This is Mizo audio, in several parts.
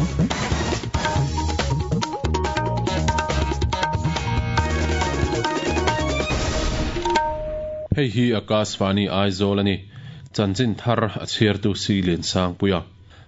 Hei hi Akashvani Aizawl a ni. Chanchin thar a chhiartu Si Liansangpuia.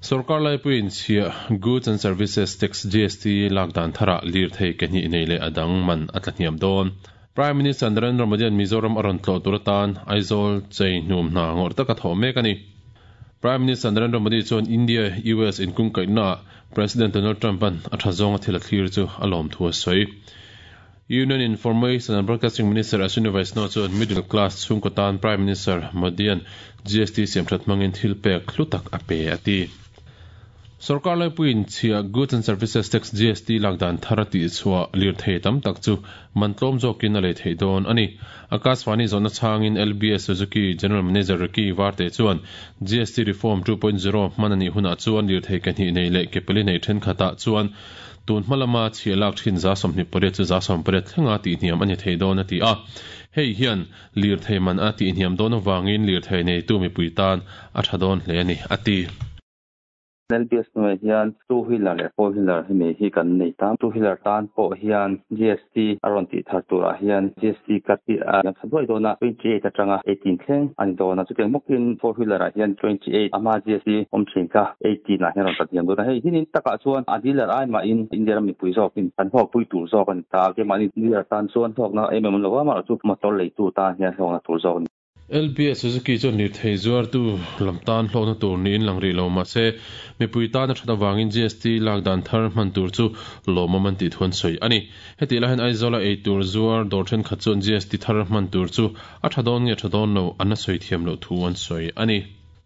Sorkar laipuiin chhiah Goods and Services Tax, GST, lak dan tharah lirthei ke hnih nei leh a dang man a tla hniam dawn. Prime Minister Narendra Modi-a'n Mizoram a rawn tlawh tur atan Aizawl chei hnum hna ngawrh taka thawh mek a ni. Prime Minister Narendra Modi chuan India-US inkungkaihnaah President Donald Trump-a'n a tha zawnga thil a thlir chu a lawm thu a sawi. Union Information and Broadcasting Minister Ashwini Vaishnaw chuan middle class chhungkaw tan Prime Minister Modi-a'n GST siamthat hmangin thil pek hlu tak a pe a ti. Sorkar laipuiin chhia Goods and Services Tax, GST, lak dan thar a tihchhuah lirthei tam tak chu man tlawm zawkin a lei theih dawn a ni. Akashvani zawhna chhangin LBS Suzuki General Manager Ricky Varte chuan GST Reform 2.0 hman a nih hunah chuan lirthei ke hnih nei leh ke pali nei thenkhatah chuan tun hma lama chhia lak thin 28% chu 18% thlenga tihhniam a ni thei dawn a ti a. Hei hian lirthei man a tihhniam dawn avangin lirthei neitu mipui tan a tha dawn hle a ni, a ti. LBS hnuaiah hian two wheeler leh four wheeler hemi hi kan nei ta. Two wheeler tan pawh hian GST a rawn tih thar turah hian GST cut hi a liam tha duai dawn a, 28 atanga 18 thleng a ni dawn a. Chutiang bawkin four wheeler ah hian 28 a hma GST awm thin kha 18 ah hian a rawn tla thiam dawn a. Hei hinin takah chuan a dealer ai mahin India ram mipui zawkin kan hlawkpui tur zawk a ni ta. Keimahni dealer tan chuan hlawkna em em an lo va, amaherawhchu motor leitu tan hian hlawkna tur zawk a ni. LBS Suzuki chuan lirthei zuartu lam tan hlawkna tur niin lang rih lo mah se, mipui tan a that avangin GST lak dan thar hman tur chu lawmawm an tih thu an sawi a ni. Hetih lai hian Aizawla ei tur zuar dawr thenkhat chuan GST thar hman tur chu a tha dawn nge tha dawn lo an la sawi thiam loh thu an sawi a ni.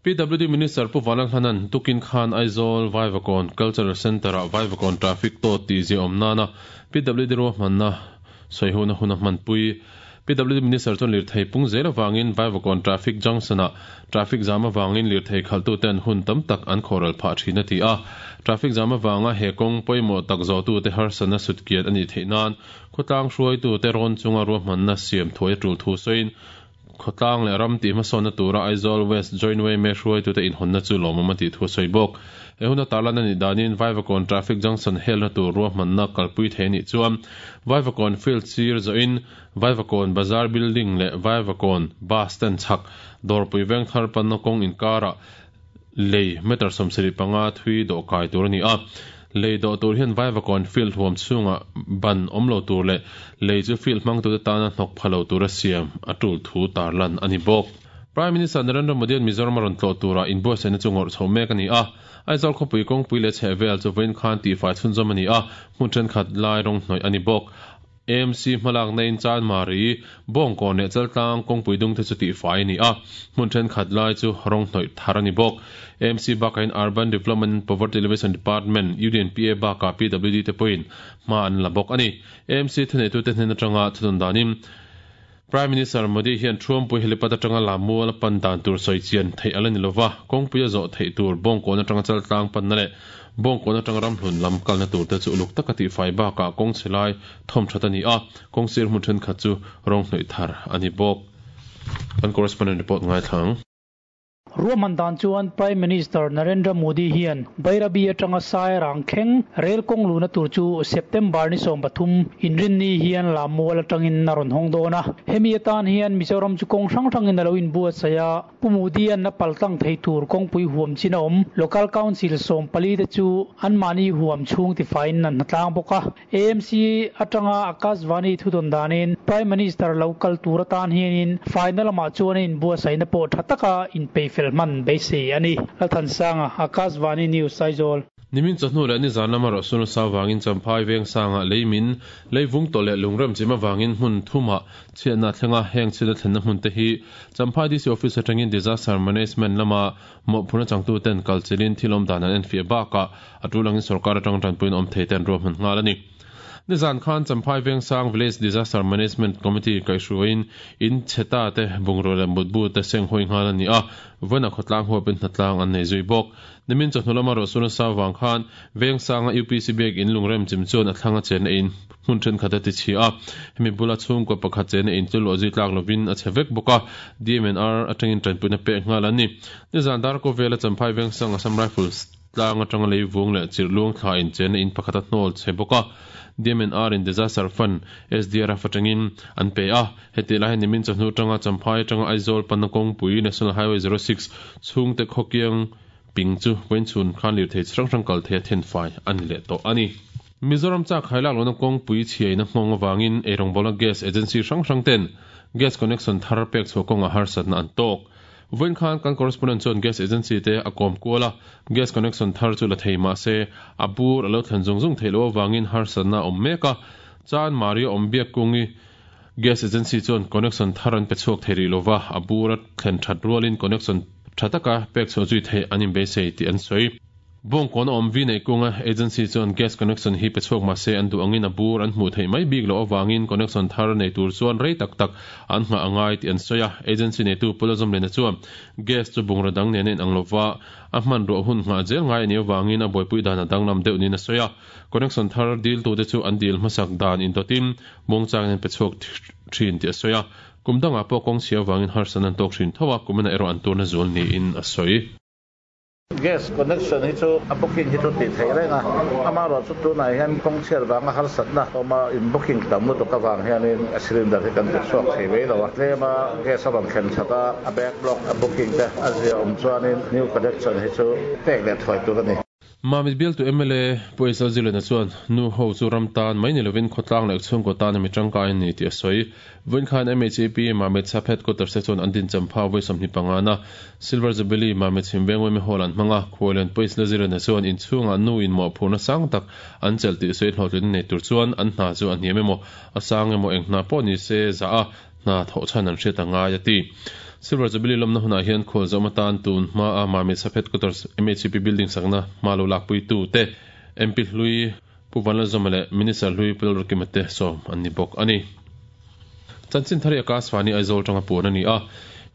PWD Minister Pu Vanlalhlana'n tukin khan Aizawl Vaivakawn Cultural Centre-ah Vaivakawn Traffic tawt tih ziaawm nana PWD ruahmanna sawihona hun a hmanpui. PWD Minister chuan lirthei pung zel avangin Vaivakawn Traffic Junction-ah traffic jam avangin lirthei khalhtuten hun tam tak an khawhral phah thin a ti a. Traffic jam avanga he kawng pawimawh tak zawhtute harsatna sutkiat a nih theih nan khawtlang hruaitute rawn chunga ruahmanna siam thuai a tul thu sawiin Khawtlang leh ram tih hmasawnna tura Aizawl West Joint Way hruaitute inhawnna chu lawmawm a tih thu a sawi bawk. He huna tarlan a nih danin Vaivakawn Traffic Junction helna tur ruahmanna kalpui thei a nih chuan Vaivakawn Field sir zawhin Vaivakawn Bazar Building leh Vaivakawn Bus Stand chhak Dawrpui Vengthar panna kawng inkarah Lei meter 75 thui dawh kai tur a ni a. Lei dawh tur hian Vaivakawn field huam chhungah ban awm lo tur leh lei chu field hmangtute tana hnawk pha lo tura siam a tul thu tarlan a ni bawk. Prime Minister Narendra Modi-a'n Mizoram a rawn tlawh turah inbuatsaihna chu ngawrh chho mek a ni a. Aizawl khawpui kawngpui leh chhehvel chu vawiin khan tihfai chhunzawm a ni a, hmun thenkhat lai rawng hnawih a ni bawk. AMC hmalakna in Chanmari, Bawngkawn leh Chaltlang kawngpui dung te chu tihfai a ni a, hmun thenkhat lai chu rawng hnawih thar a ni bawk. AMC bakah hian Urban Development and Poverty Alleviation Department, UDNPA, bakah PWD te pawhin hma an la bawk a ni. AMC thuneitute hnen atanga thunun danin Prime Minister Modi hian Thuampui helipad atanga Lamual a pan dan tur sawi chian theih a la ni lova, kawngpui a zawh theih tur Bawngkawn atanga Chaltlang panna leh Bawngkawn atanga Ramhlun lam kalna tur te chu uluk taka tihfai bakah kawng chhe lai thawm that a ni a, kawng sir hmun thenkhat chu rawng hnawih thar a ni bawk. Kan correspondent report ngaithla ang. Ruahman dan chuan Prime Minister Narendra Modi hian Bairabi atanga Sairang thleng rel kawng luhna tur chu September ni 13 Inrinni hian Lammual atangin a rawn hawng dawn a. Hemi atan hian Mizoram chu kawng hrang hrangin a lo inbuatsaih a, Pu Modi-a'n a paltlang thei tur kawngpui huam chin a awm. Local Council 14 te chu anmahni huam chhung tifaiin an hnatlang bawk a. AMC atanga Akashvani thudawn danin Prime Minister lo kal tur atan hianin faina lamah chuan a inbuatsaihna pawh tha taka inpeifel hman beisei a ni. Lalthansanga, Akashvani News, Aizawl. Nimin chawhnu leh nizan lama rawhsun a sau vangin Champhai Vengsangah lei min, lei vung tawh leh lungrem chim avangin hmun thumah chhiatna a thleng a, heng chhiatna thlenna hmun te hi Champhai DC Office atangin Disaster Management lama mawhphurhna changtuten kal chilhin thil awm dan an enfiah bakah a tul angin sorkar atang tanpuiin awm thei te an ruahman nghal a ni. Nizan khan Champhai Vengsang Village Disaster Management Committee kaihhruaiin in chheta te bungrua leh mutbu te seng hawi nghal a ni a, vawiinah khawtlang huapin hnatlang an nei zui bawk. Nimin chawhnu lama rawhsun a sau vang khan Vengsanga UPC Biak in lungrem chim chuan a thlang a chenna in hmun thenkhat a ti chhia a, hemi bula chhungkaw pakhat chenna in chu luah zui tlak lovin a chhe vek bawk a, DMNR atangin tanpuina pek nghal an ni. Nizan Darko vela Champhai Vengsang Assam Rifles. Tlang atanga leivung leh chirh luang thla inchenna in pakhat a hnawl chhe bawk a, DMNR in Disaster Fund, SDRF, atangin an pe a. Hetih lai hian nimin chawhnu atanga Champhai atanga Aizawl panna kawngpui, National Highway 06, chhungte khawkiang ping chu vawiinchhun khan lirthei chi hrang hrang kal thei a thenfai a ni leh tawh a ni. Mizoram chak hailak lohna kawngpui chhiaina nghawng avangin eirawngbawlna gas agency hrang hrang ten gas connection thar pek chhuah kawngah harsatna an tawk. Vawiin khan kan correspondent chuan gas agency te a kawm kual a, gas connection thar chu la thei mah se a bur a lo thlen zung zung theih loh avangin harsatna a awm mek a, Chan Maria Awmbiakkungi gas agency chuan connection thar an pe chhuak thei rih lova, a bur a thlen that rualin connection tha taka pek chhuah zui theih an inbeisei tih an sawi. Bawngkawn a awm vi neih kunga agency chuan gas connection hi pe chhuak mah se an duh angin a bur an hmuh theih mai bik loh avangin connection thar nei tur chuan rei tak tak an nghah a ngai tih an sawi a. Agency neitu Pu Lazawmliana chuan gas chu bungraw dang nen a inang lova a hmanruah hun nghah zel ngai a nih avangin a buaipui dan a danglam deuh niin a sawi a. Connection thar diltute chu an dil hmasak dan indawtin muangchangin an pe chhuak thin tih a sawi a. Kum dangah pawh kawng chhia avangin harsatna an tawk thin tho a, kuminah erawh an turna zual niin a sawi. Gas connection hi chu a booking hi chu tih theih reng a, amaherawhchu tunah hian kawng chhiat vanga harsatna awm a, in booking tam lutuk avang hianin a cylinder hi kan ti chhuak thei mai lo a, tlema gas a rawn thlen that a, a backlog a booking te a zia awm chuanin new connection hi chu pek leh thuai tur a ni. Mamit bialtu mla Pu Aizal Zilena chuan nu ho chu ram tan mai ni lovin khawtlang leh chhungkaw tan a mi tangkai a ni tih a sawi. Vawiin khan MHAP Mamit Sub Headquarters te chuan an dinchampha vawi 25 na Silver Jubilee Mamit Chhimveng Women Hall an hmang a, Khuallian Pu Aizal Zilena chuan inchhungah nu in mawhphurhna sang tak an chelh tih sawi hlawhtlin nei tur chuan an hna chu a hniam emaw a sang emaw eng hna pawh ni se zah a hna thawh chhan an hriat a ngai a ti. Silver Jubilee lawmna hunah hian khualzawm atan tun hmaa Mamit Sub Headquarters MHP building sakna hma lo lakpuitu te MP hlui Pu Vanlalzawma leh Minister hlui Pu Lalrukima te sawm an ni bawk a ni. Chanchin thar hi Akashvani Aizawl tanga puan a ni a.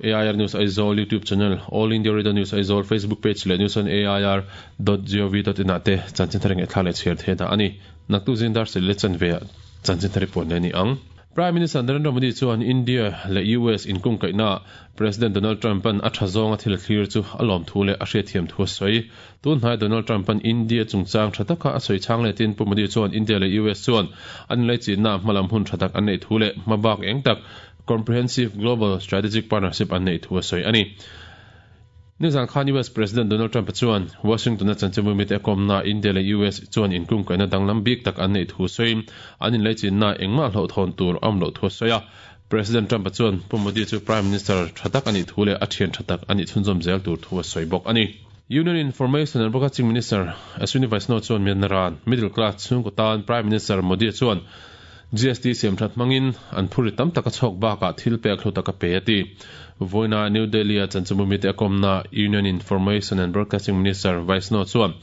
AIR News Aizawl YouTube channel, All India Radio News Aizawl Facebook page leh news on air dot gov dot in ah te chanchin thar ngaihthlak leh chhiar theih dah a ni. Naktuk zing dar sel leh chanve ah chanchin thar hi puan leh a ni ang. Prime Minister Narendra Modi chuan India leh US inkungkaihnaah President Donald Trump-a'n a tha zawnga thil a thlir chu a lawmthu leh a hriatthiam thu a sawi. Tunhnai Donald Trump-a'n India chungchang tha taka a sawi chhang letin Pu Modi chuan India leh US chuan an inlaichinnaah hmalam hun tha tak an neih thu leh hmabak eng tak Comprehensive Global Strategic Partnership an neih thu a sawi a ni. Nizan khan US President Donald Trump-a chuan Washington-a chanchinbu mite a kawmnaah India leh US chuan inkungkaihna danglam bik tak an neih thu sawiin an inlaichinnaah engmah hlauhthawn tur a awm loh thu a sawi a. President Trump-a chuan Pu Modi chu Prime Minister tha tak a nih thu leh a thian tha tak a nih chhunzawm zel tur thu a sawi bawk a ni. Union Information and Broadcasting Minister Ashwini Vaishnaw chuan Myanmar-a'n middle class chhungkaw tan Prime Minister Modi-a chuan GST siam that hmangin an phurrit tam tak a chhawk bakah thil pek hlu tak a pe a ti. Vawiina New Delhi-a chanchinbu mite a kawmna Union Information and Broadcasting Minister Vaishnaw chuan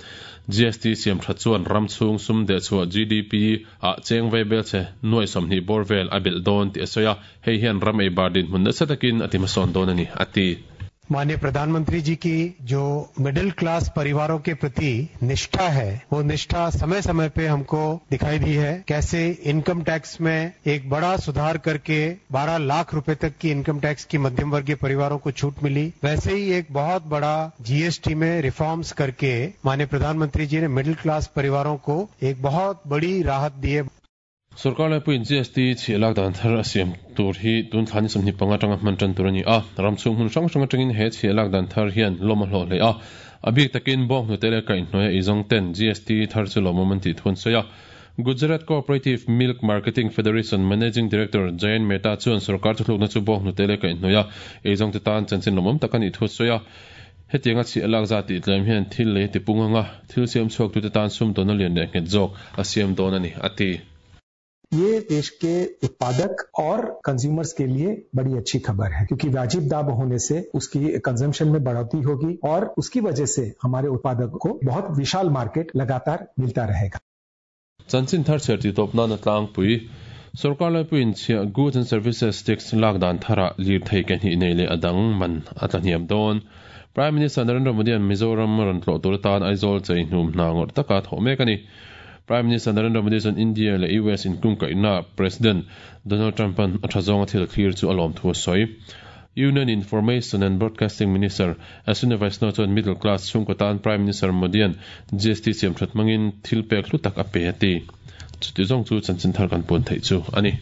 GST siam that chuan ram chhung sum dehchhuah GDP ah cheng vei bel che nuai 20 bawr vel a belh dawn tih a sawi a, hei hian ram ei bar dinhmun nasa takin a ti hmasawn dawn a ni a ti. माननीय प्रधानमंत्री जी की जो middle class परिवारों के प्रति निष्ठा है वो निष्ठा समय समय पे हमको दिखाई दी है कैसे इनकम टैक्स में एक बड़ा सुधार करके 12 लाख रुपए तक की इनकम टैक्स की मध्यम वर्गीय परिवारों को छूट मिली वैसे ही एक बहुत बड़ा जीएसटी में रिफॉर्म्स करके माननीय प्रधानमंत्री जी ने मिडिल क्लास परिवारों को एक बहुत बड़ी राहत दी है Sorkar laipuiin GST chhiah lak dan thar a siam tur hi tun thla ni 25 atanga hman tan tur a ni a. Ram chhung hmun hrang hrang atangin he chhiah lak dan thar hian lawm a hlawh hle a. A bik takin bawng hnute leh kaihhnuaia ei zawng ten GST thar chu lawmawm an tih thu an sawi a. Gujarat Cooperative Milk Marketing Federation Managing Director Jayant Mehta chuan sorkar thuthlukna chu bawng hnute leh kaihhnuaia ei zawng te tan chanchin lawmawm tak a nih thu a sawi a. Hetianga chhiah lak zat tih tlem hian thil lei ti pung anga thil siam chhuaktute tan sum dawna lian leh nghet zawk a siam dawn a ni, a ti. ये देश के उत्पादक और consumers के लिए बड़ी अच्छी खबर है क्योंकि वाजिब दाम होने से उसकी कंजम्पशन में बढ़ोतरी होगी और उसकी वजह से हमारे उत्पादक को बहुत विशाल मार्केट लगातार मिलता रहेगा। Chanchin thar chher tih tawp nana tlangpui Sorkar laipuiin chhiah Goods and Services Tax lak dan tharah lirthei ke hnih nei leh a dang man a tla hniam dawn. Prime Minister Narendra Modi-a'n Mizoram rawn tlawh tur atan Aizawl chei hnum hna ngawrh taka thawh mek a ni. Prime Minister Narendra Modi chuan India leh US inkungkaihna President Donald Trump-a'n a tha zawnga thil thlir chu a lawm thu a sawi. Union Information and Broadcasting Minister Ashwini Vaishnaw chuan middle class chhungkaw tan Prime Minister Modi-a'n GST siamthat hmangin thil pek hlu tak a pe a ti. Chuti zawng chu chanchin thar kan puan theih chu a ni.